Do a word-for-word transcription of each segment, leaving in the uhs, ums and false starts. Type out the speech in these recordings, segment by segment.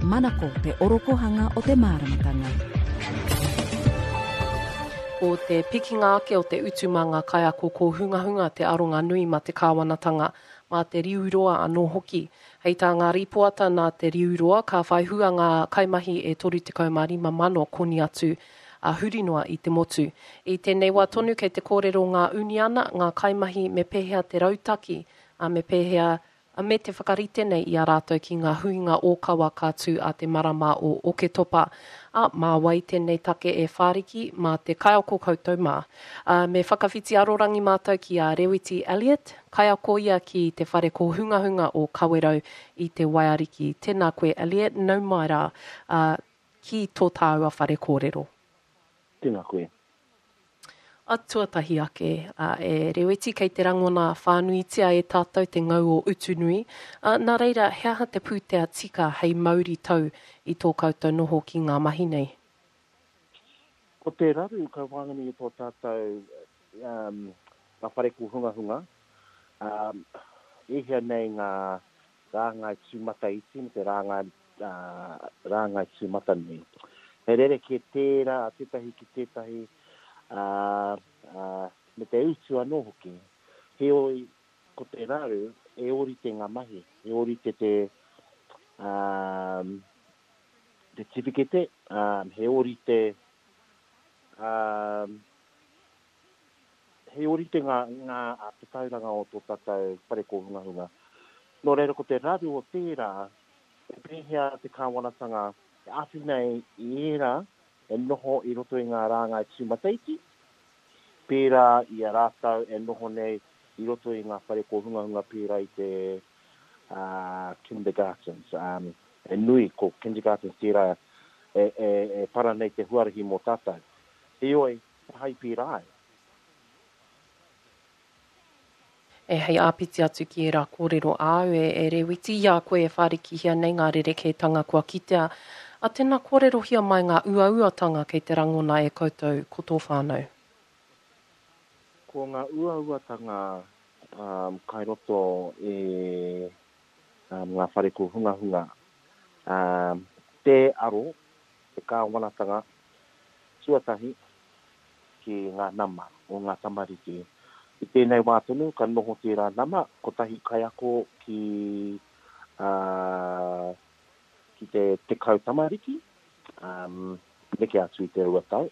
Manako te orokohanga o te māramatanga. Ko te pikinga ake o te utu mā ngā kaiako kōhungahunga te aronga nui mā te kāwanatanga, mā te riu roa anō hoki. Hei tā ngā rīpoata nā te riu roa, ka whai hua ngā kaimahi e toru tekau mā rima mano koni atu a huri noa i te motu. I tēnei wā tonu kei te kōrero ngā uniana, ngā kaimahi me pēhea te rautaki, a me pēhea a me te whakarite nei i a rātou ki ngā huinga ōkawa ka tū a te marama o Oketopa. A, mā wai tēnei take e whāriki, mā te kaiako koutou mā. A, me whakawhiti arorangi mātou ki a Rewiti Elliott, kaiako ia ki te whare kōhungahunga o Kawerau i te Waiariki. Tēnā koe Elliott, nau mai rā, a, ki tō tāua whare kōrero. Tēnā koe. A tuatahi ake, a, e Rewiti, kei te rangona whānuitia e tātou te ngau o Utunui. A, nā reira, he aha te pūtea tika hei mauri tau i tō koutou noho ki ngā mahi nei? Ko te raru ka wānganui i tō tātou um, ngā whare kōhungahunga, um, e hea nei ngā rāngai tūmataiti me te rāngai, uh, rāngai tūmatanui. He rerekē tērā a tētahi ki tētahi, uh, uh, me te utu anō hoki. Heoi, ko te raru, e ōrite ngā mahi, e ōrite te, um, te tiwhikete, um, he ōrite, um, he ōrite ngā, ngā tatauranga o tō tātou whare kōhungahunga. Nō reira, ko te raru o tērā, e pēhea te kāwanatanga e āwhina i ērā e noho i roto i ngā rāngai tūmataiti, pērā i a rātou e noho nei i roto i ngā whare kōhungahunga pērā i te uh, kindergartens. Um, e nui, ko kindergartens tērā e, e, e para nei te huarahi mō tātou. Heoi, he hai pērā ai. E hei āpiti atu ki ērā kōrero āu e, e Rewiti, i a koe e whārikihia nei ngā rerekētanga kua kitea. A tēnā kōrerohia mai ngā uauatanga kei te rangona e koutou ko tō whānau? Ko ngā uauatanga um, kai roto e um, ngā whare kōhungahunga, um, te aro, te kāwanatanga, tuatahi ki ngā nama o ngā tamariki. I tēnei wā tonu, ka noho tērā nama, kotahi kaiako ki, uh, ki te tekau tamariki, um, neke atu i te rua tau.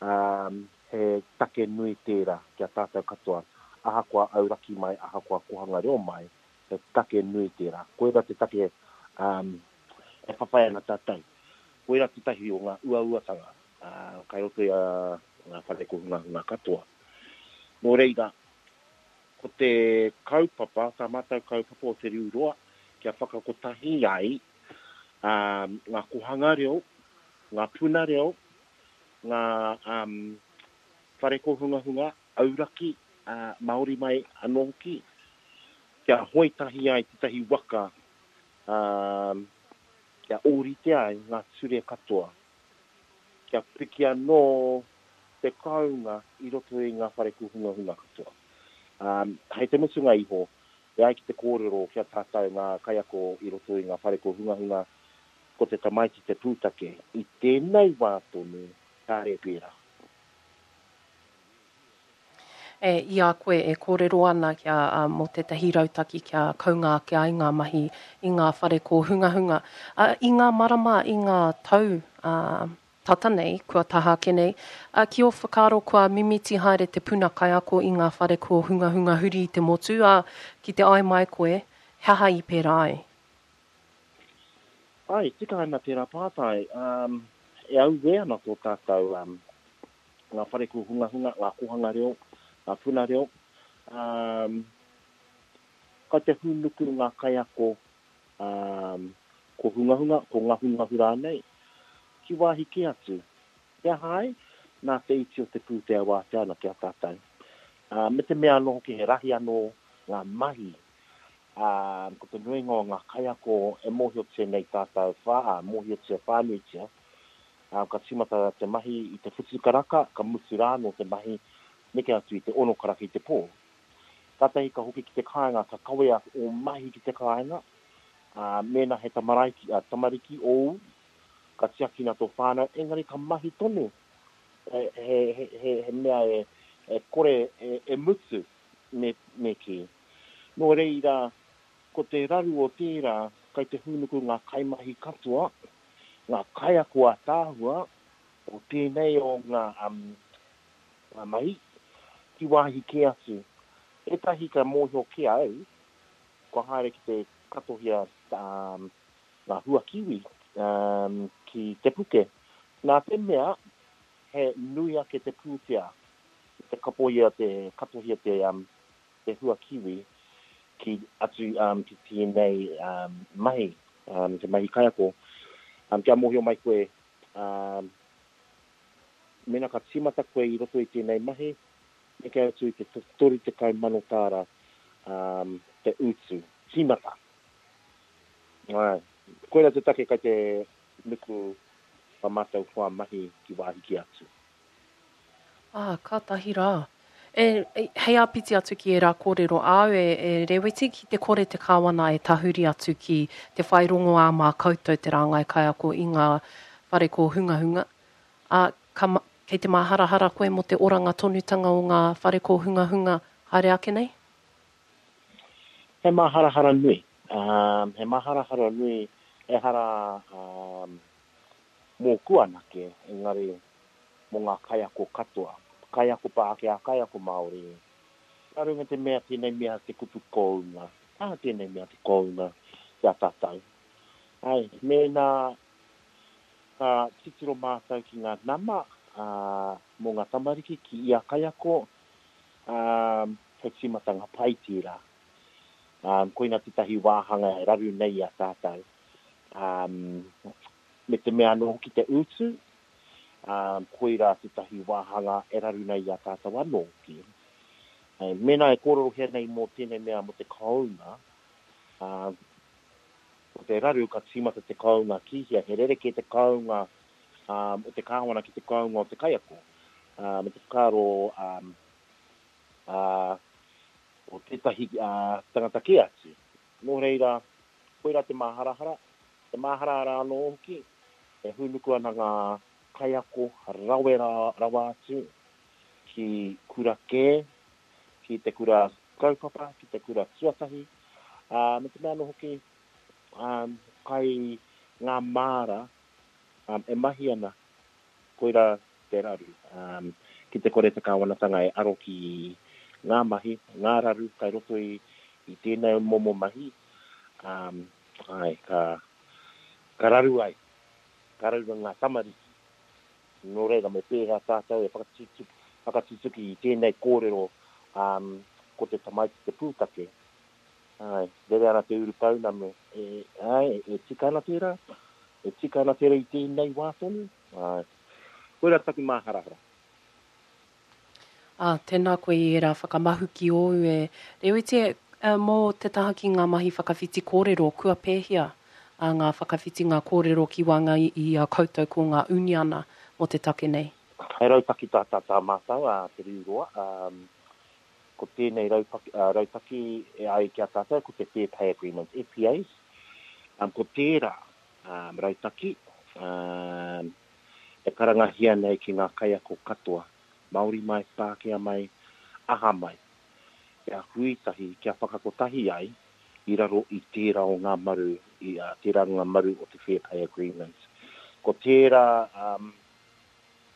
Um, he take nui tērā kia tātou katoa, ahakoa auraki mai, ahakoa kohanga reo mai, he take nui tērā. Koira te take um, e whawhai ana tātou. Koira tētahi o ngā uauatanga, uh, kai roto i a ngā whare kōhungahunga katoa. Nō reira, ko te kaupapa, tā mātou kaupapa o te riu roa, kia whakakotahi ai um, ngā kohanga reo, ngā puna reo, ngā um, whare kōhungahunga, auraki, uh, Māori mai anō hoki, kia hoe tahi ai tētahi waka, um, kia ōrite ai ngā ture katoa, kia piki anō te kounga i roto i ngā whare kōhungahunga katoa. Um, hei te mutunga iho, e ai ki te kōrero kia tātou ngā kaiako i roto i ngā whare kōhungahunga, ko te tamaiti te pūtake. I tēnei wā tonu, kāre pērā. E, i a koe e kōrero ana kia, uh, mō tētahi rautaki kia kounga ake ai ngā mahi i ngā whare kōhungahunga. Uh, i ngā marama, i ngā tau uh, tata nei, kua taha ake nei, uh, ki ō whakaaro kua mimiti haere te puna kaiako i ngā whare kōhungahunga huri i te motu, uh, ki te ai mai koe, he aha i pērā ai? Ai, tika ana tērā pātai. Um, e auē ana tō tātou um, ngā whare kōhungahunga, ngā kohanga reo, ngā puna reo. Um, kai te hūnuku ngā kaiako um, kōhungahunga, ko ngahungahu rānei, ki wāhi kē atu. He aha ai? Nā te iti o te pūtea wātea ana ki a tātou. Uh, me te mea anō hoki he rahi anō ngā mahi. Um, ko te nuinga o ngā kaiako e mōhiotia nei tātou whā, mōhiotia whānuitia. Um, ka tīmata te mahi i te whitu karaka, ka mutu rānō te mahi, neke atu i te ono karaka i te pō. Kātahi ka hoki ki te kāinga, ka kawea o mahi ki te kāinga, Ā, mēnā he tamaraiki, ā, tamariki ōu, ka tiakina tō whānau, engari ka mahi tonu. He, he, he, he, he mea e, e kore e, e mutu, me, me kī. Nō reira, ko te raru o tērā, kai te hūnuku ngā kaimahi katoa, ngā kaiako ātaahua o tēnei o ngā, um, ngā mahi, ki wāhi kē atu. Ētahi ka mōhio kē au, kua haere ki te katohia um, ngā hua kiwi um, ki Te Puke. Nā te mea, he nui ake te pūtea i te kapohia te, katohia te, um, te hua kiwi ki atu um, ki tēnei um, mahi, um, te mahi kaiako. Um, kia mōhio mai koe, um, mēnā ka tīmata koe i roto i tēnei mahi, neke atu i te toru tekau mano tāra um, te utu, tīmata. Āe, koirā te take kai te nuku wā mātou hoa mahi ki wāhi kē atu. Ā, kātahi rā. E, e, hei āpiti atu ki ērā kōrero āu, e, e Reweti, ki te kore te kāwana e tahuri atu ki te whai rongoā mā koutou te rāngai kaiako i ngā whare kōhungahunga, ā, ka, kei te māharahara koe mō te oranga tonutanga o ngā whare kōhungahunga haere ake nei? He māharahara nui. Um, he māharahara nui ehara um, mōku anake, engari mō ngā kaiako katoa. Kaiako Pākehā, kaiako Māori. Nā runga te mea tēnei mea te kupu kounga. Ā, tēnei mea te kounga ki a tātou. Ai, mēnā ka titiro mātou ki ngā nama ā, mō ngā tamariki ki ia kaiako, ā, he tīmatanga pai tērā. Um, koina tētahi wāhanga e raru nei i a tātou. Um, me te mea anō hoki te utu, um, koirā tētahi wāhanga e raru nei i a tātou anō hoki. E, mēnā e kōrerohia nei mō tēnei mea mō te kounga, um, ko te raru ka tīmata te kounga ki hea, he rerekē te kounga um, o te kāwana ki te kounga o te kaiako. Uh, me te whakaaro um, uh, o tētahi uh, tangata kē atu. Nō reira, koirā te māharahara, te māharahara anō hoki, e hūnuku ana ngā kaiako rawe rawa atu ki kura kē, ki te kura kaupapa, ki te kura tuatahi, uh, me te mea anō hoki, um, kai ngā māra um, e mahi ana, koirā te raru. Um, ki te kore te kāwanatanga e aro ki ngā mahi, ngā raru kai roto i, i tēnei momo mahi, um, ai, ka, ka raru ai, ka raru ngā tamariki. Nō reira, me pēhea tātou e whakatutuki, whakatutuki i tēnei kōrero um, ko te tamaiti te pūtake. Ai, rere ana te urupounamu, e, ai, e tika ana tērā, e tika ana tērā i tēnei wā tonu. Ai, koirā taku māharahara. Ā, tēnā koe i ērā whakamahuki ōu e Reweti, e, mō te taha ki ngā mahi whakawhiti kōrero, kua pēhea a ngā whakawhitinga kōrero ki waenga i, i a koutou ko ngā uniana mō te take nei? He rautaki tā, tā, tā mātou, a Te Riu Roa. Um, ko tēnei raupaki, uh, rautaki e ai ki a tātou, ko te Fair Pay Agreement, F P As. Um, ko tērā um, rautaki um, e karangahia nei ki ngā kaiako katoa, Māori mai, Pākehā mai, aha mai, kia hui tahi, kia whakakotahi ai i raro i tērā o ngā maru, i uh, tērā ngā maru o te Fair Pay Agreement. Ko tērā um,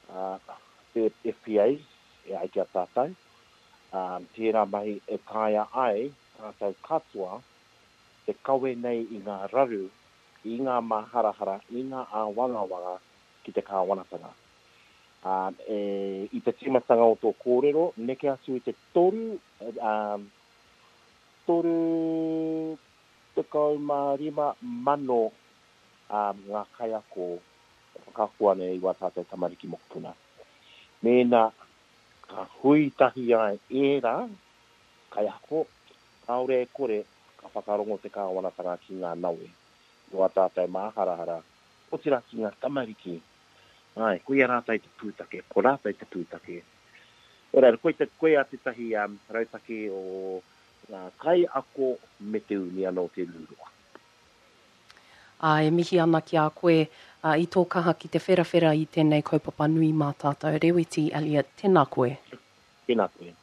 uh, F P As, e ai ki a tātou, um, tērā mahi e taea ai tātou katoa te kawe nei i ngā raru, i ngā māharahara, i ngā āwangawanga ki te kāwanatanga. Um, e, i te tīmatanga o tō kōrero, neke atu i te toru, um, toru tekau mā rima mano um, ngā kaiako e whakaako ana i wā tātou tamariki mokopuna. Mēnā ka hui tahi ai ērā kaiako, kāore e kore ka whakarongo te kāwanatanga ki ngā nawe, i wā tātou māharahara, otirā ki ngā tamariki. Ai, koia rātou te pūtake, ko rātou te pūtake. Ora, koe te, koe a tētahi um, rautaki o ngā kaiako me te uniana o Te Riu Roa. Ā, e mihi ana ki a koe i tō kaha ki te wherawhera i tēnei kaupapa nui mā tātou. Rewiti Elliott, tēnā koe. Tēnā koe.